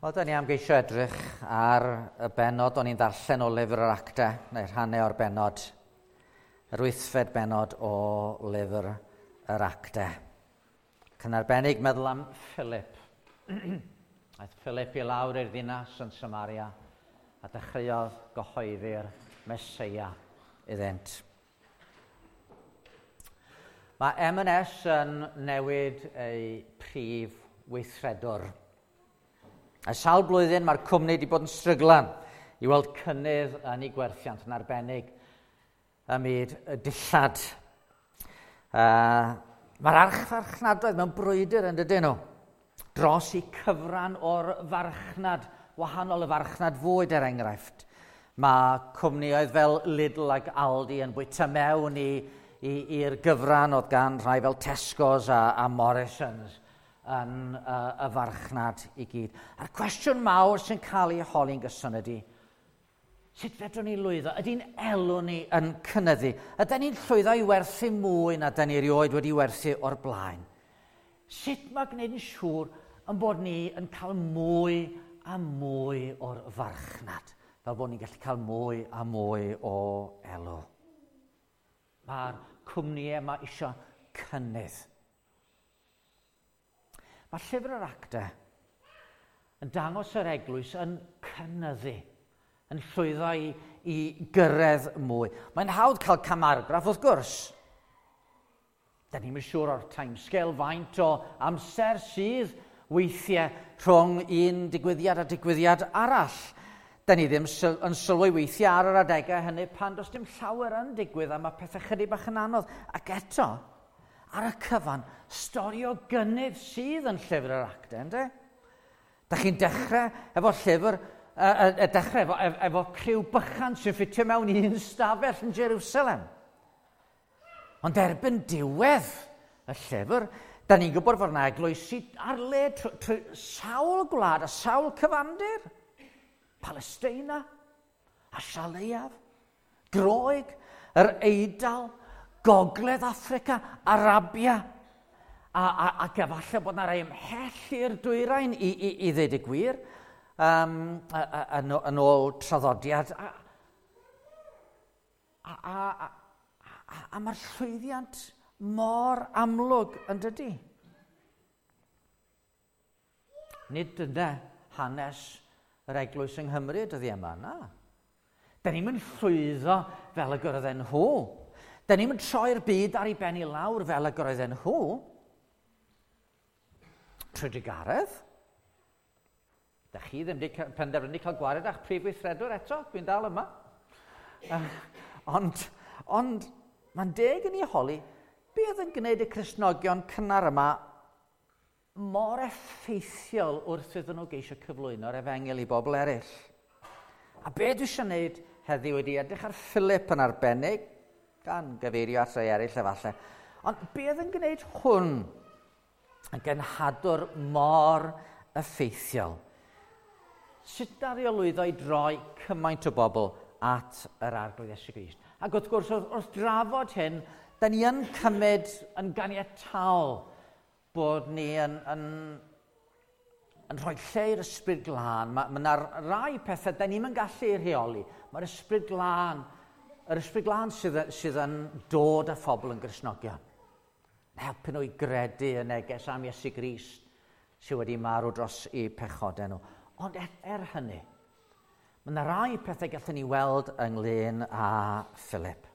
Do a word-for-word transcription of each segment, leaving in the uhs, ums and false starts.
Wel, da ni am geisio edrych ar y bennod o'n i'n ddarllen o lyfr yr Actau, neu rhannau o'r bennod, yr wythfed bennod o lyfr yr Actau. Ac yn arbennig meddwl am Philip. Aeth Philip i lawr i'r ddinas yn Samaria a dechreuodd gyhoeddi'r Meseia iddynt. Mae M and S yn newid ei prif weithredwr. A sawl blwyddyn mae'r cwmni wedi bod yn stryglan i weld cynnydd yn ei gwerthiant yn arbennig ym myd y dillad. Uh, mae'r archfarchnadoedd mewn brwydr yn dydyn nhw dros i cyfran o'r farchnad, wahanol y farchnad fwyd er enghraifft. Mae cwmnioedd fel Lidl ac Aldi yn bwyta mewn i, i, i'r gyfran oedd gan rhai fel Tesco's a, a Morrisons yn uh, y farchnad i gyd. A'r cwestiwn mawr sy'n cael ei holi'n gyson ydy, sut fedrwn ni lwyddo? Ydy'n elw ni yn cynyddu? Ydyn ni'n llwyddo i werthu mwy na dyn ni erioed wedi werthu o'r blaen? Sut mae gwneud yn siŵr yn bod ni yn cael mwy a mwy o'r farchnad, fel bod ni'n gallu cael mwy a mwy o elw? Mae'r cwmnïau yma eisiau cynnydd. Mae llyfr yr Actau yn dangos yr eglwys yn cynyddu, yn llwyddo i, i gyrraedd mwy. Mae'n hawdd cael camargraff wrth gwrs. Da ni'n siŵr o'r timescale faint o amser sydd weithiau rhwng un digwyddiad a digwyddiad arall. Da ni ddim yn sylwi weithiau ar yr adegau hynny pan does dim llawer yn digwydd a mae pethau chydig bach yn anodd. Ac eto, ar y cyfan, stori o gynnydd sydd yn llyfr yr Actau, ynddo? Da chi'n dechrau efo llyfr, y, y, y dechrau efo, efo criw bychan sy'n ffitio mewn un stafell yn Jerusalem. Ond erbyn diwedd y llyfr, da ni'n gwybod fod yna eglwysi ar led trwy, trwy sawl gwlad a sawl cyfandir. Palestina, Asia Leiaf, Groeg, yr Eidal, Gogledd Affrica, Arabia, a, a, ac efallai bod yna rai ymhell i'r dwyrain i, i, i ddweud y gwir, um, yn, yn ôl traddodiad. A, a, a, a, a, a mae'r llwyddiant mor amlwg yn dydy. Nid dyna hanes yr eglwys yng Nghymru dyddi yma, na. Da ni'n mynd llwyddo fel y gyrraedden nhw. Da ni'n mynd troi'r byd ar ei ben i lawr fel y gyrraedden nhw. Trwy drugaredd. Da chi ddim wedi penderfynu cael gwared â'ch prif weithredwr eto, dwi'n dal yma. Uh, ond ond mae'n deg yn ei holi, be oedd yn gwneud y Cristnogion cynnar yma mor effeithiol wrth iddyn nhw geisio cyflwyno'r efengyl i bobl eraill? A be dwi eisiau gwneud heddiw ydy edrych ar Philip yn arbennig, gan gyfeirio at rai eraill efallai. Ond be oedd yn gwneud hwn yn genhadwr mor effeithiol? Sut daru o lwyddo i droi cymaint o bobl at yr Arglwydd Iesu Grist? Ac wrth gwrs, wrth, wrth drafod hyn, da ni yn cymryd yn ganiataol bod ni yn, yn, yn rhoi lle i'r Ysbryd Glân. Mae yna rai pethau da ni'm yn gallu rheoli. Mae'r Ysbryd Glân, yr Ysbryd Glân sydd, sydd yn dod â phobl yn Gristnogion. Helpu nhw i gredu y neges am Iesu Grist sydd wedi marw dros eu pechodau nhw. Ond er, er hynny, mae yna rai pethau gallwn ni weld ynglyn â Philip.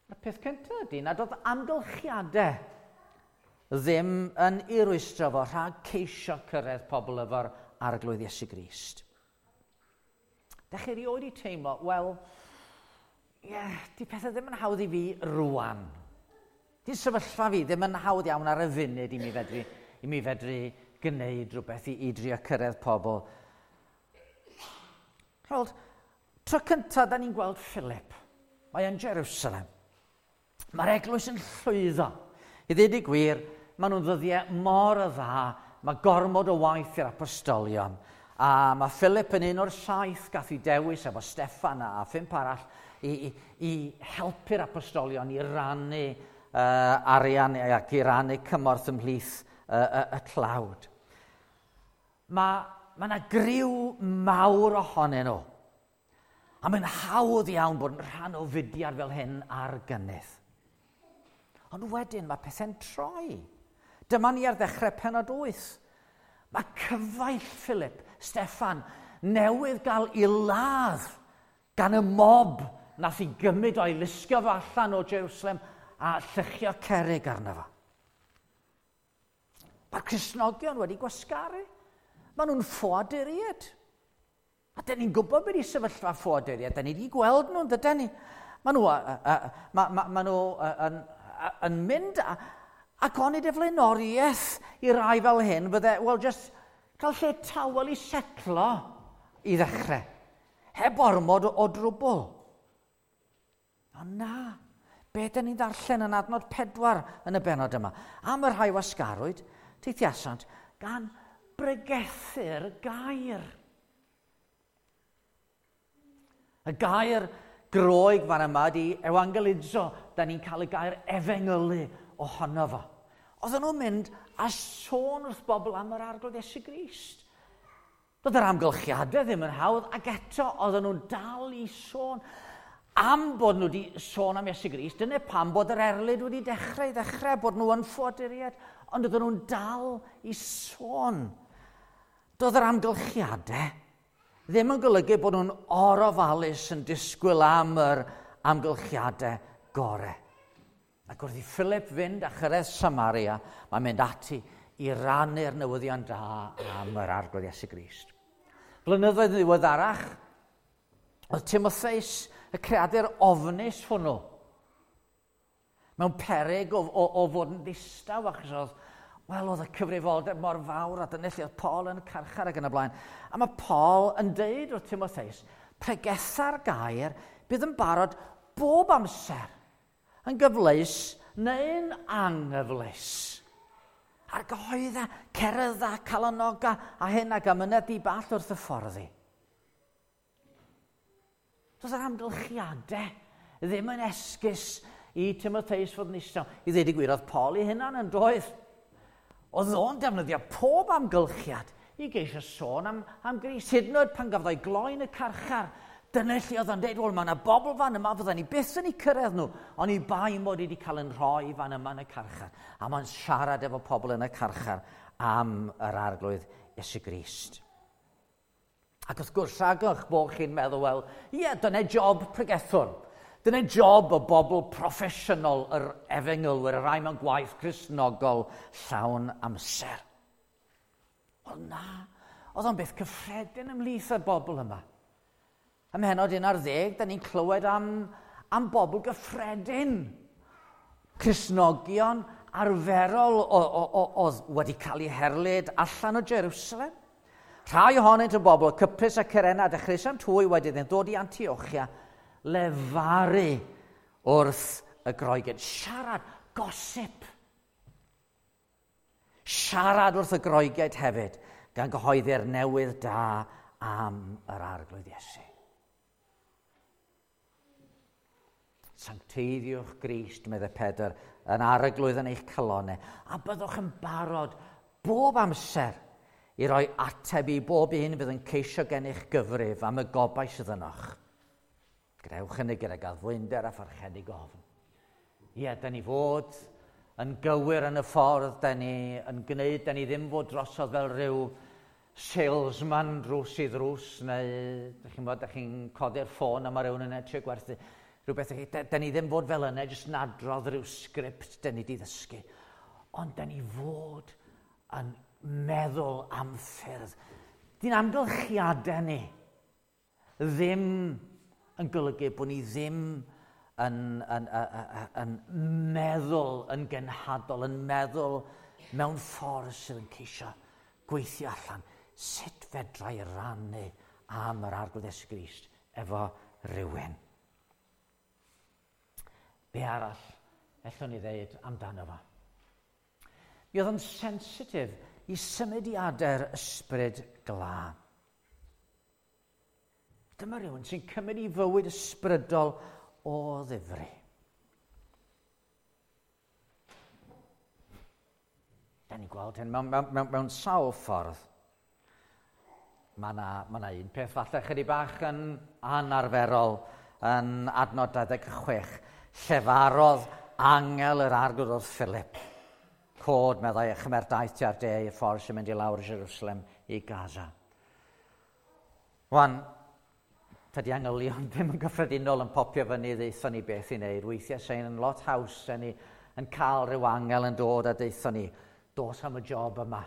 A'r peth cyntaf ydy nad oedd amgylchiadau ddim yn ei rwystro fo rhag ceisio cyrraedd pobl efo'r Arglwydd Iesu Grist. Da chi erioed i teimlo, wel, ie, yeah, di pethau ddim yn hawdd i fi rwan. Di sefyllfa fi ddim yn hawdd iawn ar y funud i mi fedru, i mi fedru gwneud rhywbeth i, i drio cyrraedd pobl. Rhaid, tro cyntaf da ni'n gweld Philip. Mae yn Jerusalem. Mae'r eglwys yn llwyddo. I ddweud y gwir, maen nhw'n ddyddiau mor y dda, mae gormod o waith i'r apostolion. A mae Philip yn un o'r saith gath ei dewis efo Steffan a phump arall i, i, i helpu'r apostolion i rannu uh, arian ac i rannu cymorth ymhlith uh, y, y tlawd. Mae, ma na griw mawr ohonyn nhw. A mae'n hawdd iawn bod yn rhan o fudiad fel hyn ar gynnydd. Ond wedyn mae pethau'n troi. Dyma ni ar ddechrau pennod wyth. Mae cyfaill Philip, Steffan, newydd gael ei ladd gan y mob nath i gymryd o'i lusgo fo allan o Jerusalem a lluchio cerrig arno fo. Mae'r Cristnogion wedi gwasgaru. Maen nhw'n ffoaduriaid. A dyn ni'n gwybod beth i sefyllfa ffoaduriaid. Dyn ni wedi gweld nhw'n dydyn ni. Maen nhw, uh, uh, ma, ma, ma nhw uh, yn, uh, yn mynd a, ac onid y flaenoriaeth i rai fel hyn fydde, wel, just cael lle tawel i setlo i ddechrau. Heb ormod o, o drwbl. Ond na, be dyn ni'n ddarllen yn adnod pedwar yn y benod yma? Am y rhai wasgarwyd, teithiasant gan bregethu'r gair. Y gair Groeg fan yma di evangelizo, da ni'n cael y gair efengylu ohono fo. Oedden nhw'n mynd a sôn wrth bobl am yr Arglwydd Iesu Grist. Doedd yr amgylchiadau ddim yn hawdd, ac eto oedden nhw'n dal i sôn. Am bod nhw wedi sôn am Iesu Grist, dyna pam bod yr erlid wedi dechrau i ddechrau, bod nhw yn ffoaduriaid, ond oedden nhw'n dal i sôn. Doedd yr amgylchiadau ddim yn golygu bod nhw'n orofalus yn disgwyl am yr amgylchiadau gorau. Ac wrth i Philip fynd a chyrraedd Samaria, mae'n mynd ati i rannu'r newyddion da am yr Arglwydd Iesu Grist. Blynyddoedd ddiweddarach, oedd Timotheus, y creadur ofnus hwnnw, mewn peryg o, o, o fod yn ddistaw, achos oedd, wel, oedd y cyfrifoldeb mor fawr, a dyna lle oedd Paul yn y carchar ac yn y blaen. A mae Paul yn deud wrth Timotheus, pregetha'r gair bydd yn barod bob amser, yn gyfleus neu'n anghyfleus. Ar gyhoedda, cerydda, calonoga, a hyn ac amynedd di ball wrth y fforddi. Doedd yr amgylchiadau ddim yn esgus i Timotheus fod yn eistedd. I ddweud y gwir, oedd Paul ei hunan yn doedd. Oedd o'n defnyddio pob amgylchiad i geisio sôn am, am Grist. Hyd yn oed pan gafodd o'i gloi'n y carchar, dyna lle oedd o'n deud, wel, mae yna bobl fan yma, fydden ni byth yn eu cyrraedd nhw, ond i bai mod i wedi cael yn rhoi fan yma yn y carchar. A mae'n siarad efo pobl yn y carchar am yr Arglwydd Iesu Grist. Ac wrth gwrs, rhagwch bod chi'n meddwl, wel, ie, dyna job pregethwr. Dyna job y bobl proffesiynol, yr efengylwyr, y rai mewn gwaith Cristnogol llawn amser. Wel na, oedd o'n beth cyffredin ymhlith y bobl yma. Ym mhennod un ar ddeg, da ni'n clywed am, am bobl gyffredin. Cristnogion arferol oedd wedi cael eu herlid allan o Jerusalem. Rhai ohonynt yn bobl Cyprus a Cyrene a dechreuasant hwy wedyn yn dod i Antiochia lefaru wrth y Groegiaid. Siarad, gosip. Siarad wrth y Groegiaid hefyd, gan gyhoeddi'r newydd da am yr Arglwydd Iesu. Sancteiddiwch Grist, meddai Pedr, yn arglwydd yn eich calonau, a byddwch yn barod bob amser i roi ateb i bob un fydd yn ceisio gennych gyfrif am y gobaith sydd ynoch. Grewch hynny gydag addfwynder a pharchedig ofn. Ie, da ni fod yn gywir yn y ffordd, da ni yn gwneud, da ni ddim fod drosodd fel rhyw salesman drws i ddrws, neu da chi'n bod, da chi'n codi'r ffôn a mae rhywun yn edrych gwerthu rhywbeth. Da, da ni ddim fod fel yna, jyst nadrodd rhyw sgript da ni di ddysgu. Ond da ni fod yn meddwl am ffyrdd. Di'n amgylchiadau ni ddim yn golygu bod ni ddim yn, yn, yn, yn meddwl yn genhadol, yn meddwl mewn ffordd sydd yn ceisio gweithio allan sut fedra i rannu am yr Arglwydd Iesu Grist efo rhywun. Be arall ellwn ni ddeud amdano fo? Mi oedd yn sensitif i symudiadau'r ysbryd glân. Dyma rhywun sy'n cymryd i fywyd ysbrydol o ddifri. Da ni'n gweld hyn mewn, mewn, mewn, mewn sawl ffordd. Mae yna ma na un peth falle chydig bach yn anarferol yn adnod dau ddeg chwech. Llefarodd angel yr arglwydd wrth Philip. Cod, meddai, a chymer daith tua'r de i'r ffordd sy'n mynd i lawr i Jerusalem i Gaza. Wan, tydi angylion ddim yn gyffredinol yn popio fyny ddeithon ni beth i wneud. Weithiau sy'n yn lot haws sy'n ni yn cael rhyw angel yn dod a deithon ni, dos am y job yma.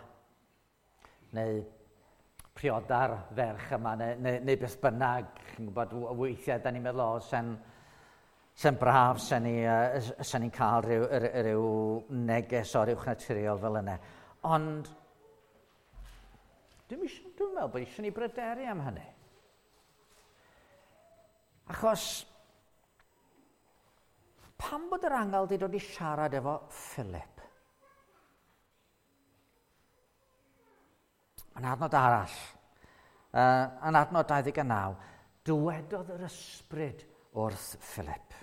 Neu prioda'r ferch yma, neu, neu, neu beth bynnag. Chi'n gwybod, weithiau da ni'n meddwl, o, sen, sen braf, sen ni'n uh, sen ni cael rhyw, rhyw neges o'r uwch naturiol fel yna. Ond dwi'n dwi meddwl bod eisiau ni bryderu am hynny. Achos, pam bod yr angel wedi dod i siarad efo Philip? Yn adnod arall, uh, yn adnod dau ddeg naw, dywedodd yr ysbryd wrth Philip.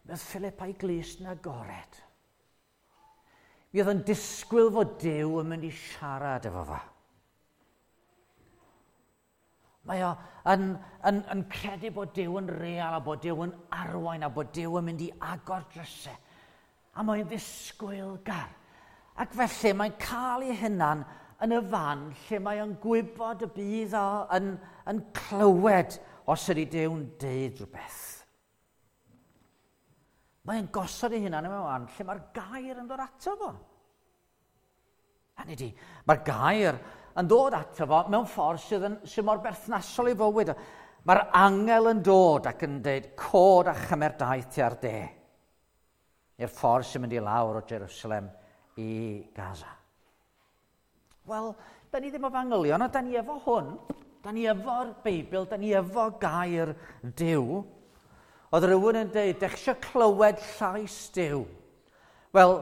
Mi oedd Philip a'i glust yn agored. Mi oedd yn disgwyl fod Duw yn mynd i siarad efo fo. Mae o yn, yn, yn credu bod Duw yn real a bod Duw yn arwain a bod Duw yn mynd i agor drysau. A mae'n ddisgwylgar. Ac felly mae'n cael ei hunan yn y fan lle mae o'n gwybod y bydd o yn, yn clywed os ydy Duw'n deud rhywbeth. Mae'n gosod ei hunan yn y fan lle mae'r gair yn dod ato fo. Hynny ydi, mae'r gair yn dod ato fo mewn ffordd sydd, yn, sydd mor berthnasol i fywyd. Mae'r angel yn dod ac yn deud, cod a chymer daith tua'r de. I'r ffordd sy'n mynd i lawr o Jerusalem i Gaza. Wel, da ni ddim efo angylion, ond da ni efo hwn. Da ni efo'r Beibl, da ni efo gair Duw. Oedd rhywun yn deud, dech eisiau clywed llais Duw? Wel,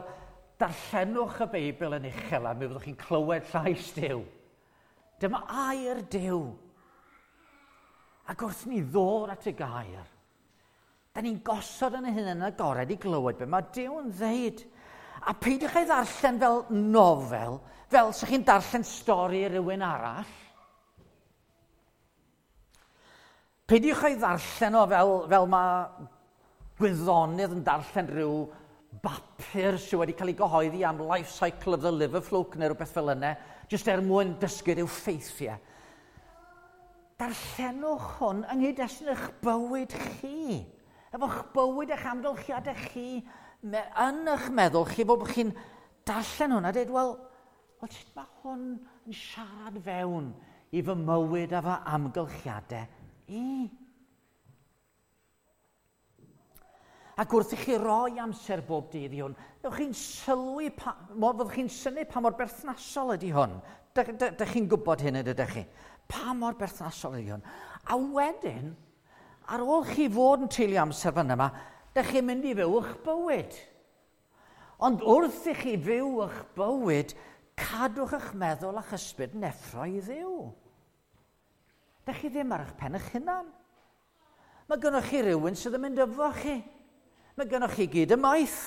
darllenwch y Beibl yn uchel a mi fyddwch chi'n clywed llais Duw. Dyma air Duw. Ac wrth ni ddod at y gair, da ni'n gosod yn y hunain yn agored i glywed be mae Duw yn ddeud. A peidiwch ei ddarllen fel nofel, fel sa'ch chi'n darllen stori rhywun arall. Peidiwch ei ddarllen o fel, fel mae gwyddonydd yn darllen rhyw bapur sydd wedi cael ei gyhoeddi am life cycle of the liver fluke neu rhywbeth fel yna, jyst er mwyn dysgu rhyw ffeithiau. Darllenwch hwn yng nghyd-destun eich bywyd chi, efo'ch bywyd eich amgylchiadau chi, yn eich meddwl chi, bod chi'n darllen hwn a dweud, wel, wel, sut mae hwn yn siarad fewn i fy mywyd a fy amgylchiadau i? Ac wrth i chi roi amser bob dydd i hwn, fyddwch chi'n sylwi, pa, fyddwch chi'n synnu pa mor berthnasol ydy hwn. Dych chi'n gwybod hyn ydych chi? Pa mor berthnasol ydy hwn? A wedyn, ar ôl chi fod yn treulio amser fan yma, dych chi'n mynd i fyw eich bywyd. Ond wrth i chi fyw eich bywyd, cadwch eich meddwl a'ch ysbryd yn effro i Dduw. Dych chi ddim ar eich pen eich hunan. Mae gynnoch chi rhywun sydd yn mynd efo chi. Mae gynnoch chi gyd ymaith.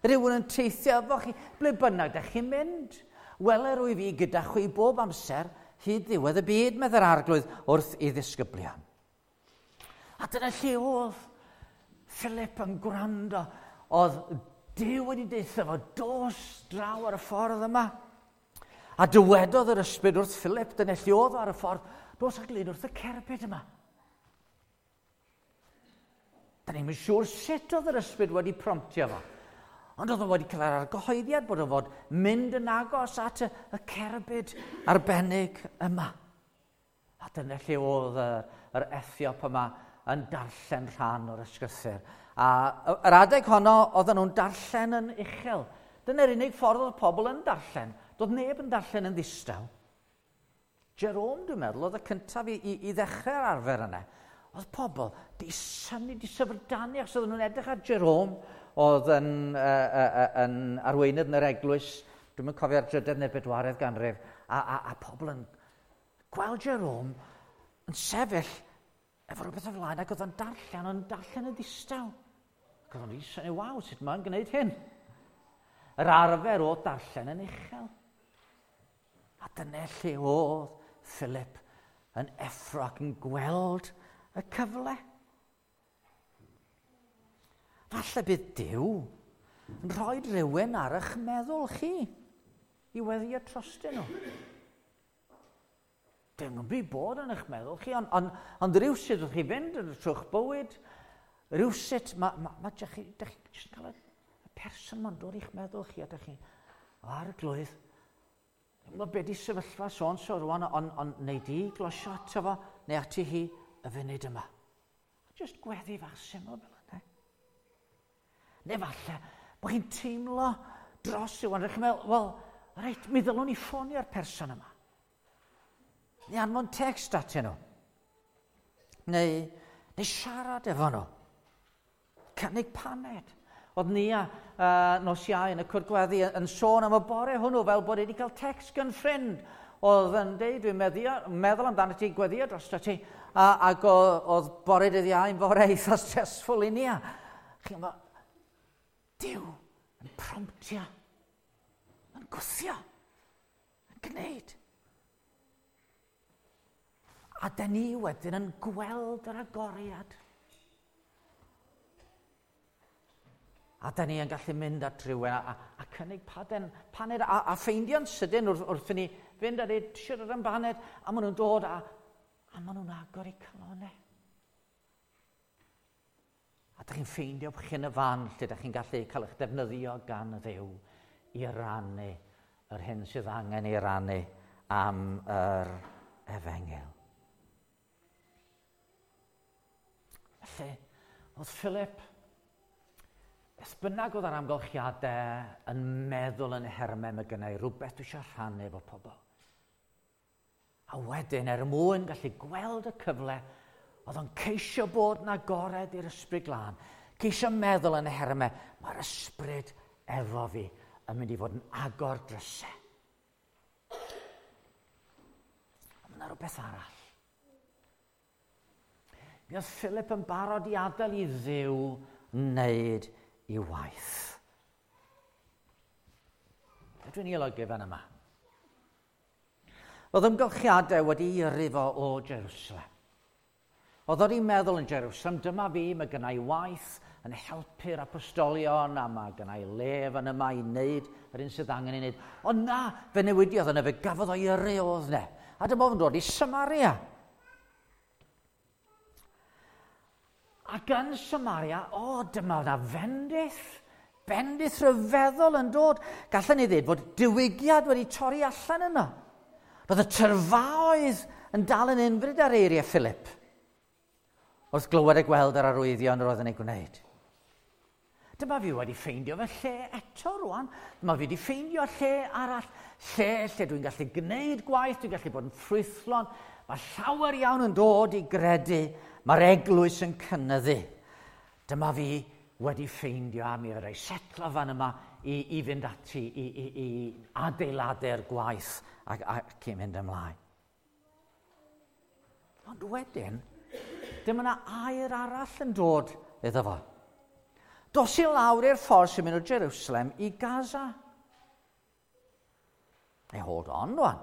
Rhywun yn teithio efo chi. Ble bynnag dych chi'n mynd. Wele rwy fi gyda chwi bob amser hyd ddiwedd y byd, meddai'r arglwydd wrth ei ddisgyblion. A dyna lle oedd Philip yn gwrando. Oedd Duw wedi deutha fo, dos draw ar y ffordd yma. A dywedodd yr ysbryd wrth Philip, dyna lle oedd ar y ffordd, dos a glyn wrth y cerbyd yma. Da ni'n siŵr sut oedd yr ysbryd wedi promptio fo. Ond oedd o wedi cael yr argyhoeddiad bod o fod mynd yn agos at y, y cerbyd arbennig yma. A dyna lle oedd yr, yr Ethiop yma yn darllen rhan o'r ysgrythur. A yr adeg honno, oedden nhw'n darllen yn uchel. Dyna'r unig ffordd oedd pobl yn darllen. Doedd neb yn darllen yn ddistaw. Jerome, dwi'n meddwl, oedd y cyntaf i, i, i ddechrau'r arfer yna. Oedd pobl di synnu, di syfrdanu, achos oedden nhw'n edrych ar Jerome, oedd yn, uh, uh, yn arweinydd yn yr eglwys, dwi'n mynd cofio'r drydedd neu'r bedwaredd ganrif, a, a, a pobl yn gweld Jerome yn sefyll efo rhywbeth o flaen, ac oedd o'n darllen, o'n darllen yn ddistaw. Ac oedd o'n synnu, waw, sut mae'n gwneud hyn? Yr arfer o darllen yn uchel. A dyna lle oedd Philip yn effro ac yn gweld y cyfle. Falle bydd Duw yn rhoi rhywun ar eich meddwl chi i weddio trostyn nhw. Dim nhw'n byd bod yn eich meddwl chi, ond on, ond rhywsut wrth chi fynd yn trwy'ch bywyd, rhywsut, mae ma, ma, dych chi, dych chi jyst yn cael y, y person ma'n dod i'ch meddwl chi, a dych chi, o arglwydd, mae be di sefyllfa son so rwan, ond on, neu di glosio ato fo, neu ati hi y funud yma. Just gweddi fach syml fel yna. Neu falle, bod chi'n teimlo dros yw, ond rydych chi'n meddwl, wel, reit, mi ddylwn i ffonio'r person yma. Neu anfon text atyn nhw. Neu, neu siarad efo nhw. Cynnig paned. Oedd Nia uh, nos Iau yn y cwrdd gweddi yn sôn am y bore hwnnw fel bod wedi cael text gan ffrind. Oedd yn deud, dwi'n meddio, meddwl amdano ti, gweddio dros ti. A, ac oedd bore dydd Iau yn fore eitha stressful i Nia. Chi'n meddwl, Duw yn promptio, yn gwthio, yn gwneud. A dyn ni wedyn yn gweld yr agoriad. A dyn ni yn gallu mynd at rhywun a, a, a cynnig paden, paned a, a ffeindio'n sydyn wrth, wrth i ni fynd a dweud siarad am baned, a maen nhw'n dod a, a maen nhw'n agor eu calonnau. A dych chi'n ffeindio bod chi yn y fan lle dych chi'n gallu cael eich defnyddio gan y Dduw i rannu yr hyn sydd angen ei rannu am yr efengyl. Felly, oedd Philip, beth bynnag oedd ar amgylchiadau yn meddwl yn hermau, mae gynna i rhywbeth dwi eisiau rhannu efo pobl. A wedyn, er mwyn gallu gweld y cyfle, oedd o'n ceisio bod yn agored i'r ysbryd glân, ceisio meddwl yn y hermau, mae'r ysbryd efo fi yn mynd i fod yn agor drysau. Ond mae yna rhywbeth arall. Mi oedd Philip yn barod i adael i Dduw wneud ei waith. Be dwi'n ei olygu fan yma? Oedd ymgylchiadau wedi yrru fo o Jerusalem. Oedd o'n meddwl yn Jerusalem, dyma fi, mae gynna i waith yn helpu'r apostolion, a mae gynna i le fan yma i wneud yr un sydd angen ei wneud. Ond na, fe newidiodd yna, fe gafodd o'i yrru oedd yna. A dyma fo'n dod i Samaria. Ac yn Samaria, o, dyma yna fendith, bendith rhyfeddol yn dod. Gallen ni ddweud fod diwygiad wedi torri allan yno. Roedd y tyrfaoedd yn dal yn unfryd ar eiriau Philip wrth glywed a gweld yr arwyddion yr oedd yn ei gwneud. Dyma fi wedi ffeindio fy lle eto rwan. Dyma fi wedi ffeindio lle arall, lle lle dwi'n gallu gwneud gwaith, dwi'n gallu bod yn ffrwythlon. Mae llawer iawn yn dod i gredu, mae'r eglwys yn cynyddu. Dyma fi wedi ffeindio a mi fedra i setlo fan yma i, i fynd ati, i, i, i adeiladu'r gwaith ac, ac i mynd ymlaen. Ond wedyn, dyma yna air arall yn dod iddo fo. Dos i lawr i'r ffordd sy'n mynd o Jerusalem i Gaza. Hey, hold on, rwan.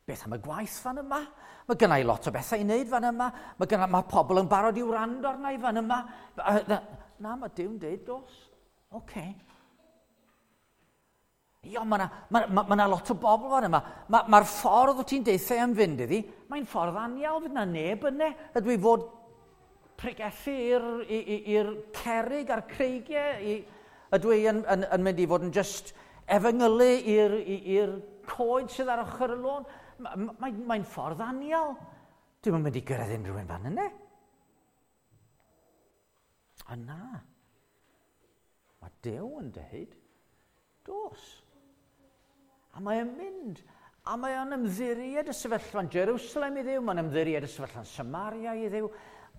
Beth am y gwaith fan yma? Mae gynna i lot o bethau i wneud fan yma. Mae, gynna, mae pobl yn barod i wrando arna i fan yma. Na, mae Duw'n deud dos. Oce. Okay. Io, mae yna ma, ma, ma lot o bobl fan yma. Mae'r ma ffordd wyt ti'n deithio am fynd iddi, mae'n ffordd anial, fydd na neb yna. Ydw i fod pregethu i'r cerrig a'r creigiau? I, ydw i yn, yn, yn mynd i fod yn just efengylu i'r coed sydd ar ochr y lôn? Mae'n mae, mae ffordd anial. Dwi'm yn mynd i gyrraedd unrhyw un fan yna. A na, mae Duw yn deud, dos. A mae o'n mynd, a mae o'n ymddiried y sefyllfa'n Jerusalem i Dduw, mae'n ymddiried y sefyllfa'n Samaria i Dduw,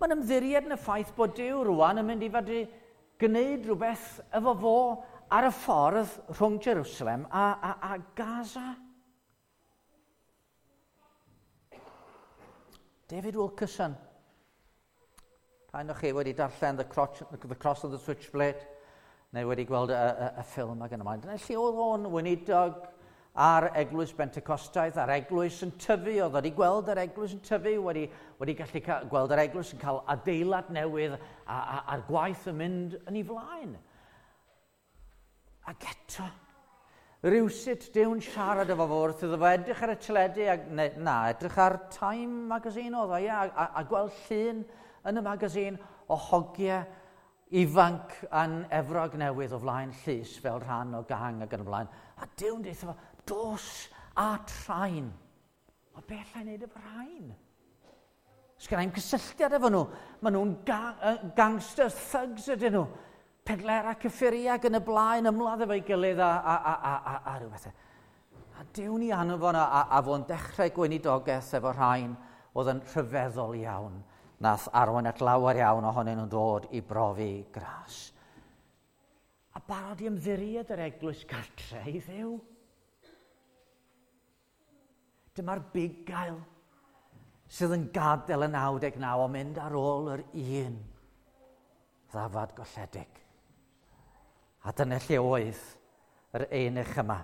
mae'n ymddiried yn y ffaith bod Duw rwan yn mynd i fod i gwneud rhywbeth efo fo ar y ffordd rhwng Jerusalem a, a, a Gaza. David Wilkerson. Rhaid o'ch chi wedi darllen The Cross, The Cross of the Switchblade, neu wedi gweld y, y, y ffilm ag yn ymlaen. Dyna lle oedd o'n weinidog ar eglwys Bentecostaidd, a'r eglwys yn tyfu, oedd wedi gweld yr eglwys yn tyfu, wedi, wedi gallu ca- gweld yr eglwys yn cael adeilad newydd a, a, a'r gwaith yn mynd yn ei flaen. Ac eto, rhywsut Duw'n siarad efo fo wrth iddo fo edrych ar y teledu, a, ne, na, edrych ar Time magazine oedd o, ie, a, a, a gweld llun yn y magazine o hogiau ifanc yn Efrog Newydd o flaen llys fel rhan o gang ac yn y blaen. A Duw'n deutha fo, dos at rhain. O be alla i wneud efo rhain? Sgynna i'm cysylltiad efo nhw. Maen nhw'n ga- gangsters, thugs ydyn nhw. Pedlera cyffuriau ac yn y blaen ymladd efo'i gilydd a, a, a, a, a, a rhyw bethau. A Duw'n ei anfon a, a, a fo'n dechrau gweinidogaeth efo rhain oedd yn rhyfeddol iawn. Nath arwain at lawer iawn ohonyn nhw'n dod i brofi gras. A barod i ymddiried yr eglwys gartre i Dduw. Dyma'r bugail sydd yn gadael y naw deg naw o mynd ar ôl yr un ddafad golledig. A dyna lle oedd yr eunuch yma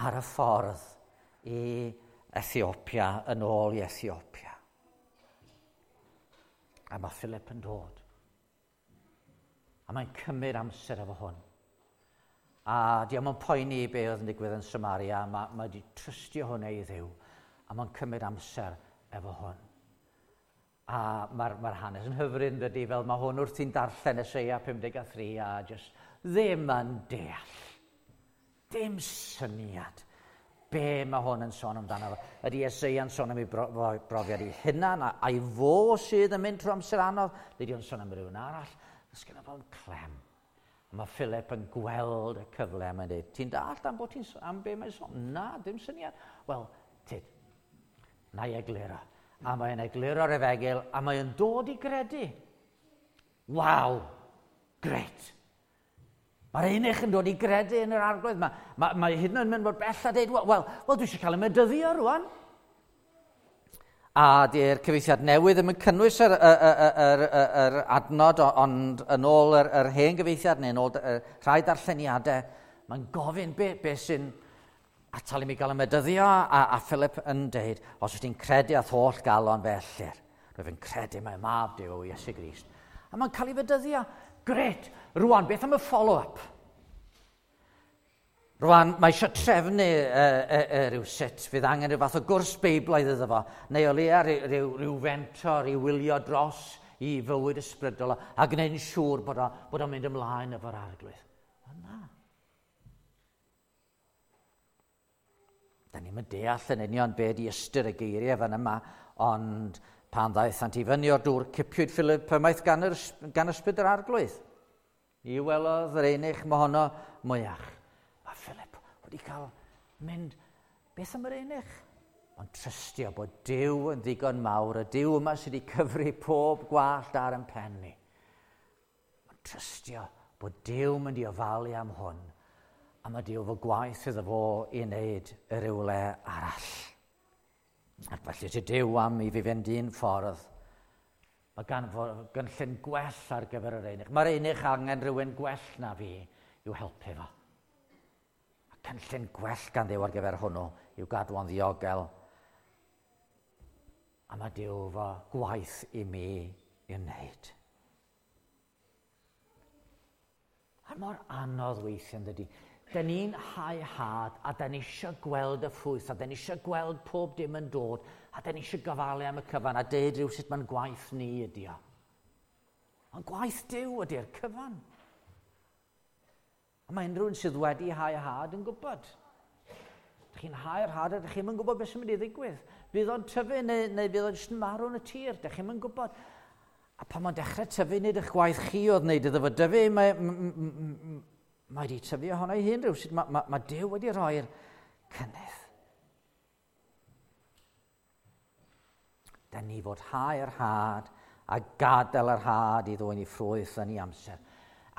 ar y ffordd i Ethiopia, yn ôl i Ethiopia. A mae Philip yn dod. A mae'n cymryd amser efo hwn. A di o'm yn poeni be oedd yn digwydd yn Samaria, mae, mae wedi trystio hwnna i Dduw. A mae'n cymryd amser efo hwn. A mae'r mae hanes yn hyfryd yn dydy, fel mae hwn wrthi'n darllen Eseia pum deg a thri a just ddim yn deall. Dim syniad be mae hwn yn sôn amdano. Ydy Eseia'n sôn am ei brofiad ei hunan, a'i fo sydd yn mynd trwy amser anodd, neu o'n sôn am rhywun arall. Does gynno fo'm clem. A mae Philip yn gweld y cyfle a mae'n dweud, ti'n dallt am, bod ti'n, am be mae'n sôn? Na, dim syniad. Wel, tyd, na i egluro. A mae'n egluro'r efengyl, a mae'n dod i gredu. Waw, grêt. Mae'r eunuch yn dod i gredu yn yr Arglwydd. Mae, mae, mae hyd yn oed yn mynd mor bell a dweud, wel, wel, wel, dwi eisiau cael y medyddio rwan. A di'r cyfieithiad newydd ddim yn cynnwys yr, yr, yr, yr, yr adnod, ond yn ôl yr, yr hen gyfieithiad neu yn ôl rhai darlleniadau, mae'n gofyn be, be sy'n atal i mi gael y medyddio, a, a Philip yn deud, os wyt ti'n credu â'th holl galon fe ellir. Rwyf yn credu mai mab Duw yw Iesu Grist. A mae'n cael ei fedyddio. Grêt. Rwan, beth am y follow-up? Rwan, mae eisiau trefnu uh, uh, uh, rhyw sut. Fydd angen rhyw fath o gwrs Beiblaidd iddo fo, neu o leia rhyw, rhyw, rhyw fentor i wylio dros i fywyd ysbrydol a gwneud yn siŵr bod, o, bod o'n mynd ymlaen efo'r Arglwydd. O na. Da ni'n mynd deall yn union be di ystyr y geiriau fan yma, ond pan ddaethant i fyny o'r dŵr, cipiwyd Philip ymaith gan, yr, gan ysbryd yr Arglwydd. Ni welodd yr eunuch mohono mwyach. Mae Philip wedi cael mynd, beth am yr eunuch? Ond trystio bod Duw yn ddigon mawr, y Duw yma sydd wedi cyfri pob gwallt ar ein pen ni. Ond trystio bod Duw mynd i ofalu am hwn, a mae Duw fo gwaith iddo fo i wneud y rywle arall. Ac felly ti Duw am i fi fynd un ffordd, mae gan fo gynllun gwell ar gyfer yr eunuch. Mae'r eunuch angen rhywun gwell na fi i'w helpu fo. A cynllun gwell gan Dduw ar gyfer hwnnw i'w gadw o'n ddiogel. A mae Duw fo gwaith i mi i'w wneud. A mor anodd weithiau yn dydy. Da ni'n hau had, a da ni eisiau gweld y ffrwyth, a da ni eisiau gweld pob dim yn dod, a da ni eisiau gofalu am y cyfan, a deud rhyw sut mae'n gwaith ni ydi o. Ond gwaith Duw ydy'r cyfan. A mae unrhyw un sydd wedi hau had yn gwybod. Dych chi'n hau'r had a dych chi'm yn gwybod beth sy'n mynd i ddigwydd. Fydd o'n tyfu neu, neu fydd o'n jyst yn marw yn y tir, dych chi'm yn gwybod. A pan mae'n dechrau tyfu, nid eich gwaith chi oedd wneud iddo fo dyfu, mae, mae wedi tyfu ohono ei hun rhywsut. Mae, mae, mae Duw wedi rhoi'r cynnydd. Da ni fod hau'r had a gadael yr had i ddwyn i ffrwyth yn ei amser.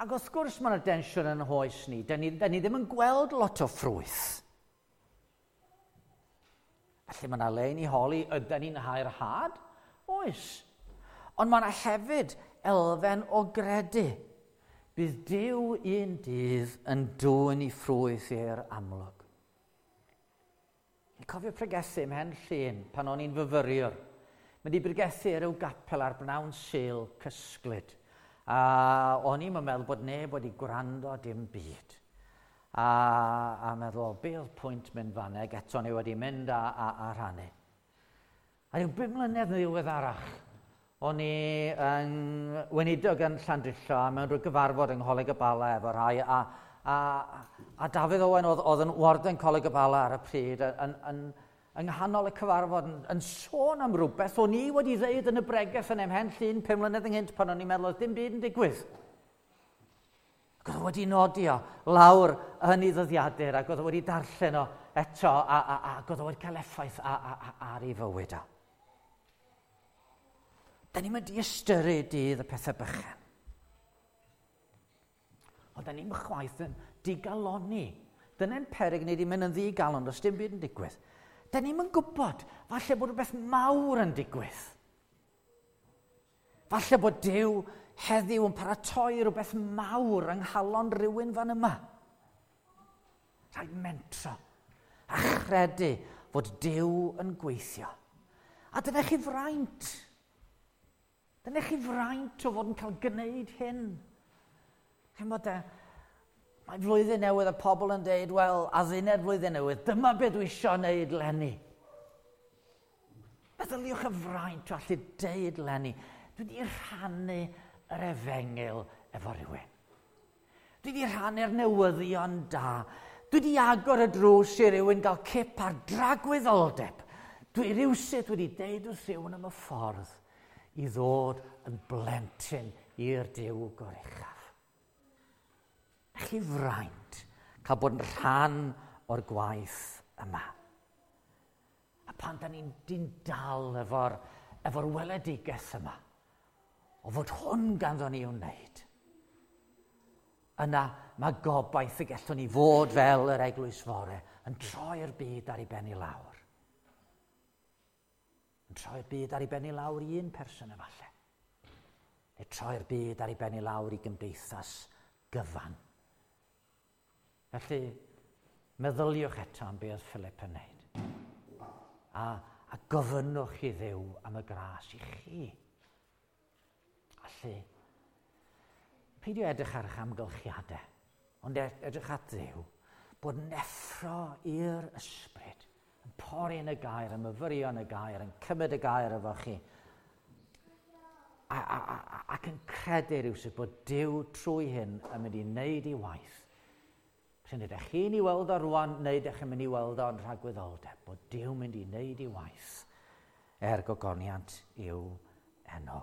Ac wrth gwrs mae yna densiwn yn hoes ni. Da ni, da ni ddim yn gweld lot o ffrwyth. Felly mae yna le i ni holi, ydy ni'n hau'r had? Oes. Ond mae yna hefyd elfen o gredu. Bydd Duw un dydd yn dwyn i ffrwyth i'r amlwg. Yn cofio pregethu ym Mhen Llŷn pan o'n i'n fyfyriwr. Mynd i bregethu ar ryw gapel ar bnawn Sul cysglyd. A o'n i'n meddwl bod neb wedi gwrando dim byd. A, a meddwl, be oedd pwynt mynd fanna, ac eto ni wedi mynd a, a, a rhannu. A ryw bum mlynedd yn ddiweddarach, o'n i yn weinidog yn Llandrillo a mewn rhyw gyfarfod yng Ngholeg y Bala efo rhai, a, a, a Dafydd Owen oedd, oedd yn warden Coleg y Bala ar y pryd, yn, yn, yng nghanol y cyfarfod yn, yn sôn am rhywbeth o'n i wedi ddeud yn y bregeth yn Mhen Llŷn pum mlynedd ynghynt pan o'n i'n meddwl oedd dim byd yn digwydd. Ac oedd o wedi nodi o lawr yn ei ddyddiadur ac oedd o wedi darllen o eto a, a, a, ac oedd o wedi cael effaith a, a, a, ar ei fywyd o. Da ni'n mynd i ystyru dydd y pethau bychan. Ond da ni'n chwaith yn digalonni. Dyna'n peryg ni wedi mynd yn ddigalon, does dim byd yn digwydd. Da ni'n mynd gwybod, falle bod rhywbeth mawr yn digwydd. Falle bod Duw heddiw yn paratoi rhywbeth mawr yng nghalon rhywun fan yma. Rhaid mentro a chredu fod Duw yn gweithio. A dyna chi fraint. Dyna chi fraint o fod yn cael gwneud hyn. Chimod, mae flwyddyn newydd a pobl yn deud, wel, adduned flwyddyn newydd, dyma beth dwi isio wneud leni. Meddyliwch y fraint o allu deud leni. Dwi wedi rhannu yr efengyl efo rhywun. Dwi wedi rhannu'r newyddion da. Dwi wedi agor y drws i rywun gael cip ar dragwyddoldeb. Dwi rywsut wedi deud wrth rhywun am y ffordd i ddod yn blentyn i'r Duw goruchaf. Chi fraint cael bod yn rhan o'r gwaith yma. A pan da ni'n dyn dal efo'r efo weledigaeth yma, o fod hwn ganddo ni i'w wneud, yna mae gobaith y gallwn ni fod fel yr eglwys fore yn troi'r byd ar ei ben i lawr. Yn troi'r byd ar ei ben i lawr i un person efallai. Neu troi'r byd ar ei ben i lawr i gymdeithas gyfan. Felly, meddyliwch eto am beth oedd Philip yn wneud. A, a gofynnwch i Dduw am y gras i chi. Allu, peidio edrych ar eich amgylchiadau, ond edrych at Dduw, bod neffro i'r ysbryd, yn pori yn y gair, yn myfyrio yn y gair, yn cymryd y gair efo chi, a, a, a, ac yn credu rhywsut bod Duw trwy hyn yn mynd i wneud ei waith. Pryn ydych chi'n ei weld o rwan, neu ydych chi'n mynd i weld o'n rhagwyddoldeb, bod Duw mynd i wneud ei waith er gogoniant i'w enw.